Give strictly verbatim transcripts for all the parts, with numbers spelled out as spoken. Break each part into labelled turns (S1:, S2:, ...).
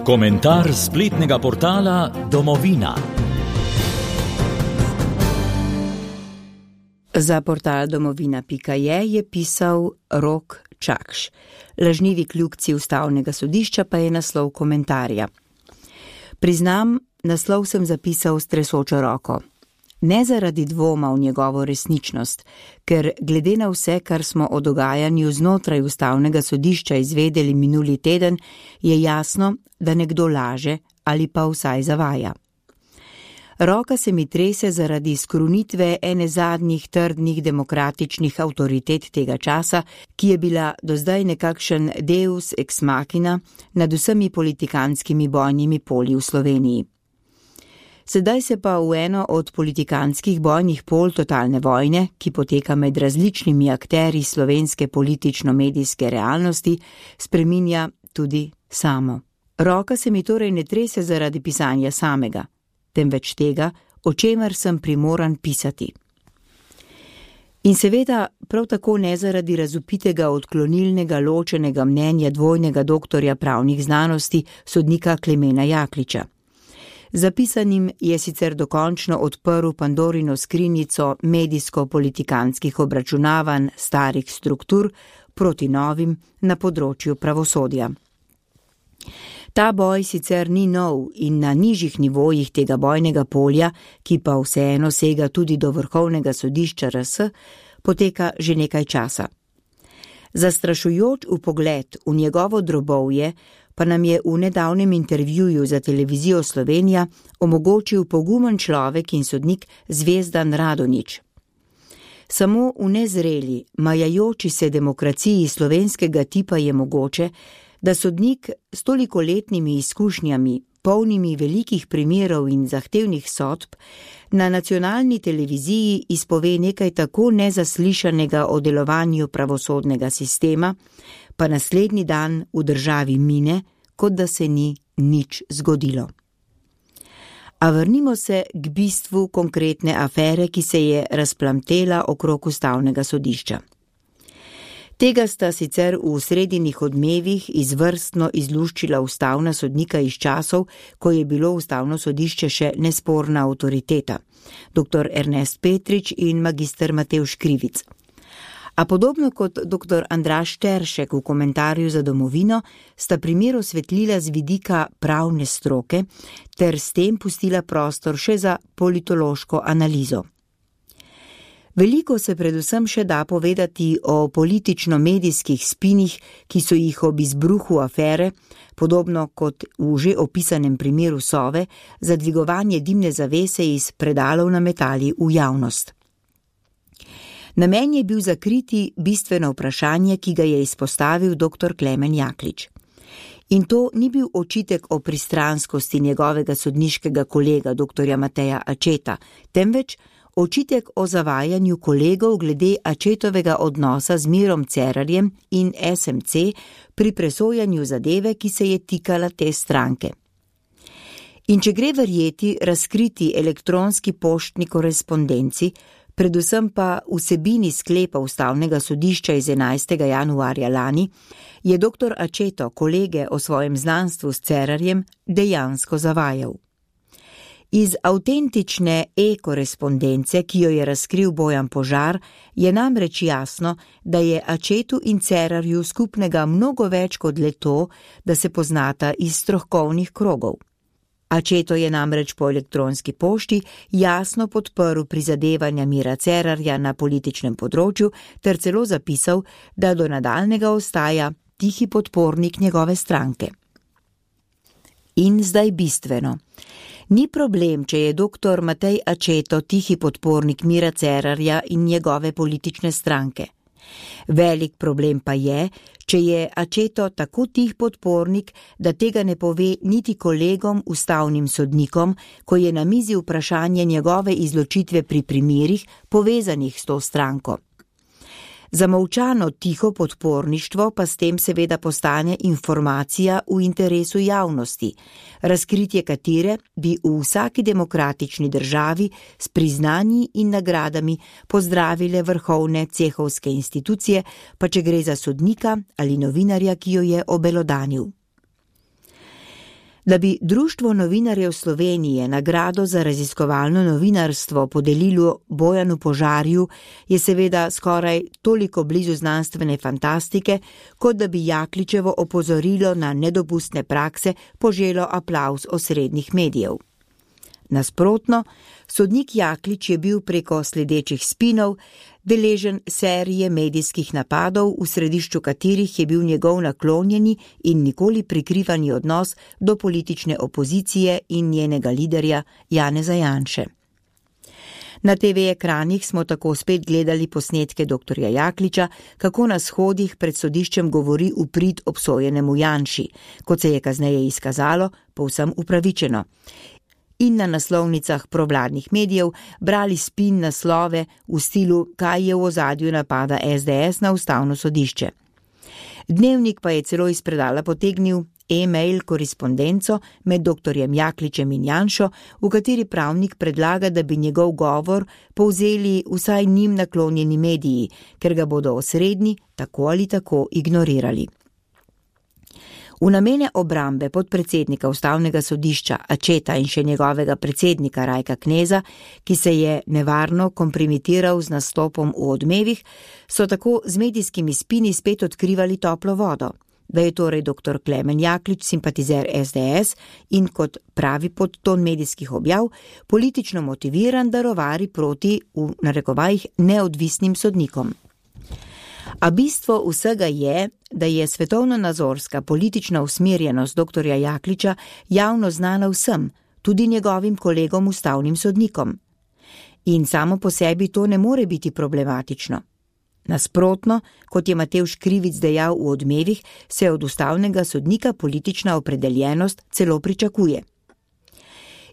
S1: Komentar spletnega portala Domovina.
S2: Za portal domovina pika je je pisal Rok Čakš. Lažnivi kljukci ustavnega sodišča pa je naslov komentarja. Priznam, naslov sem zapisal s tresočo roko. Ne zaradi dvoma v njegovo resničnost, ker glede na vse, kar smo o dogajanju znotraj ustavnega sodišča izvedeli minuli teden, je jasno, da nekdo laže ali pa vsaj zavaja. Roka se mi trese zaradi skrunitve ene zadnjih trdnih demokratičnih avtoritet tega časa, ki je bila do zdaj nekakšen deus ex machina nad vsemi politikanskimi bojnimi polji v Sloveniji. Sedaj se pa v eno od politikanskih bojnih pol totalne vojne, ki poteka med različnimi akterji slovenske politično-medijske realnosti, spreminja tudi samo. Roka se mi torej ne trese zaradi pisanja samega, temveč tega, o čemer sem primoran pisati. In seveda prav tako ne zaradi razvpitega odklonilnega ločenega mnenja dvojnega doktorja pravnih znanosti sodnika Klemena Jakliča. Zapisanim je sicer dokončno odprl Pandorino skrinjico medijsko-politikanskih obračunavanj starih struktur proti novim na področju pravosodja. Ta boj sicer ni nov in na nižjih nivojih tega bojnega polja, ki pa vseeno sega tudi do vrhovnega sodišča R S, poteka že nekaj časa. Zastrašujoč vpogled v njegovo drobovje pa nam je v nedavnem intervjuju za televizijo Slovenija omogočil pogumen človek in sodnik Zvezdan Radonjić. Samo v nezreli, majajoči se demokraciji slovenskega tipa je mogoče, da sodnik s tolikoletnimi izkušnjami, polnimi velikih primerov in zahtevnih sodb, na nacionalni televiziji izpove nekaj tako nezaslišanega o delovanju pravosodnega sistema, pa naslednji dan v državi mine, kot da se ni nič zgodilo. A vrnimo se k bistvu konkretne afere, ki se je razplamtela okrog ustavnega sodišča. Tega sta sicer v sredinih odmevih izvrstno izluščila ustavna sodnika iz časov, ko je bilo ustavno sodišče še nesporna avtoriteta, doktor Ernest Petrič in magister Matevž Krivic. A podobno kot doktor Andraž Teršek v komentarju za Domovino, sta primer osvetlila z vidika pravne stroke ter s tem pustila prostor še za politološko analizo. Veliko se predvsem še da povedati o politično-medijskih spinih, ki so jih ob izbruhu afere, podobno kot v že opisanem primeru Sove, za dvigovanje dimne zavese iz predalov nametali v javnost. Namen je bil zakriti bistveno vprašanje, ki ga je izpostavil doktor Klemen Jaklič. In to ni bil očitek o pristranskosti njegovega sodniškega kolega doktorja Mateja Ačeta, temveč očitek o zavajanju kolegov glede Ačetovega odnosa z Mirom Cerarjem in S M C pri presojanju zadeve, ki se je tikala te stranke. In če gre verjeti razkriti elektronski poštni korespondenci, predvsem pa vsebini sklepa ustavnega sodišča iz enajstega januarja lani, je doktor Ačeto kolege o svojem znanstvu s Cerarjem dejansko zavajal. Iz avtentične e-korespondence, ki jo je razkril Bojan Požar, je namreč jasno, da je Ačetu in Cerarju skupnega mnogo več kot le to, da se poznata iz strokovnih krogov. Ačeto je namreč po elektronski pošti jasno podprl prizadevanja Mira Cerarja na političnem področju ter celo zapisal, da do nadaljnjega ostaja tihi podpornik njegove stranke. In zdaj bistveno. Ni problem, če je doktor Matej Ačeto tihi podpornik Mira Cerarja in njegove politične stranke. Velik problem pa je, če je Ačeto tako tih podpornik, da tega ne pove niti kolegom ustavnim sodnikom, ko je na mizi vprašanje njegove izločitve pri primerih povezanih s to stranko. Zamolčano tiho podporništvo pa s tem seveda postane informacija v interesu javnosti, razkritje katere bi v vsaki demokratični državi s priznanji in nagradami pozdravile vrhovne cehovske institucije, pa če gre za sodnika ali novinarja, ki jo je obelodanil. Da bi Društvo novinarjev Slovenije nagrado za raziskovalno novinarstvo podelilo Bojanu Požarju, je seveda skoraj toliko blizu znanstvene fantastike, kot da bi Jakličevo opozorilo na nedopustne prakse poželo aplavz osrednjih medijev. Nasprotno, sodnik Jaklič je bil preko sledečih spinov deležen serije medijskih napadov, v središču katerih je bil njegov naklonjeni in nikoli prikrivani odnos do politične opozicije in njenega liderja Janeza Janše. Na te ve ekranih smo tako spet gledali posnetke doktorja Jakliča, kako na shodih pred sodiščem govori v prid obsojenemu Janši, kot se je kasneje izkazalo, povsem upravičeno. In na naslovnicah provladnih medijev brali spin naslove v stilu, kaj je v ozadju napada es de es na ustavno sodišče. Dnevnik pa je celo iz predala potegnil e-mail korespondenco med doktorjem Jakličem in Janšo, v kateri pravnik predlaga, da bi njegov govor povzeli vsaj njim naklonjeni mediji, ker ga bodo osrednji tako ali tako ignorirali. V namene obrambe podpredsednika ustavnega sodišča Acceta in še njegovega predsednika Rajka Kneza, ki se je nevarno kompromitiral z nastopom v Odmevih, so tako z medijskimi spini spet odkrivali toplo vodo, da je torej doktor Klemen Jaklič simpatizer es de es in, kot pravi podton medijskih objav, politično motiviran, da rovari proti, v narekovajih, neodvisnim sodnikom. A bistvo vsega je, da je svetovno-nazorska politična usmerjenost doktorja Jakliča javno znana vsem, tudi njegovim kolegom ustavnim sodnikom. In samo po sebi to ne more biti problematično. Nasprotno, kot je Matevž Krivic dejal v Odmevih, se od ustavnega sodnika politična opredeljenost celo pričakuje.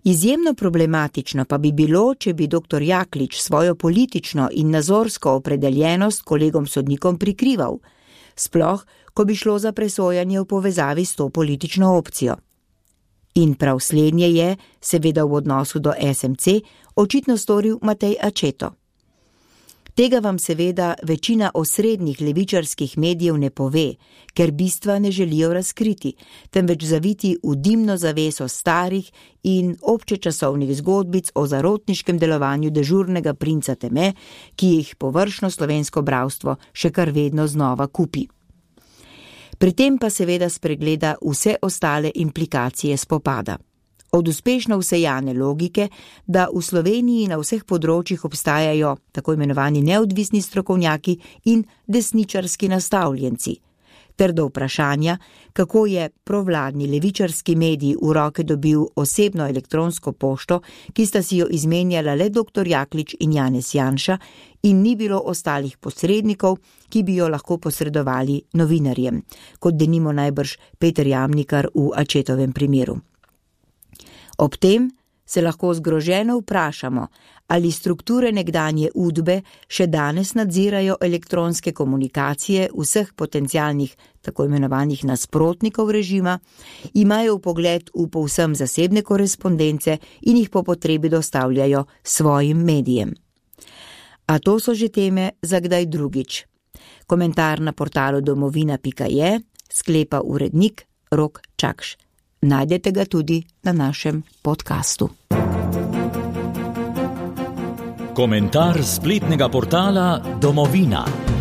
S2: Izjemno problematično pa bi bilo, če bi doktor Jaklič svojo politično in nazorsko opredeljenost kolegom sodnikom prikrival, sploh, ko bi šlo za presojanje v povezavi s to politično opcijo. In prav slednje je, seveda v odnosu do es em ce, očitno storil Matej Acceto. Tega vam seveda večina osrednjih levičarskih medijev ne pove, ker bistva ne želijo razkriti, temveč zaviti v dimno zaveso starih in občečasovnih zgodbic o zarotniškem delovanju dežurnega princa teme, ki jih površno slovensko bralstvo še kar vedno znova kupi. Pri tem pa seveda spregleda vse ostale implikacije spopada. Od uspešno vsejane logike, da v Sloveniji na vseh področjih obstajajo tako imenovani neodvisni strokovnjaki in desničarski nastavljenci, ter do vprašanja, kako je provladni levičarski medij v roke dobil osebno elektronsko pošto, ki sta si jo izmenjala le doktor Jaklič in Janez Janša in ni bilo ostalih posrednikov, ki bi jo lahko posredovali novinarjem, kot denimo najbrž Peter Jamnikar v Accetovem primeru. Ob tem se lahko zgroženo vprašamo, ali strukture nekdanje Udbe še danes nadzirajo elektronske komunikacije vseh potencialnih tako imenovanih nasprotnikov režima, imajo vpogled v povsem zasebne korespondence in jih po potrebi dostavljajo svojim medijem. A to so že teme za kdaj drugič. Komentar na portalu domovina pika je, sklepa urednik Rok Čakš. Najdete ga tudi na našem podkastu.
S1: Komentar spletnega portala Domovina.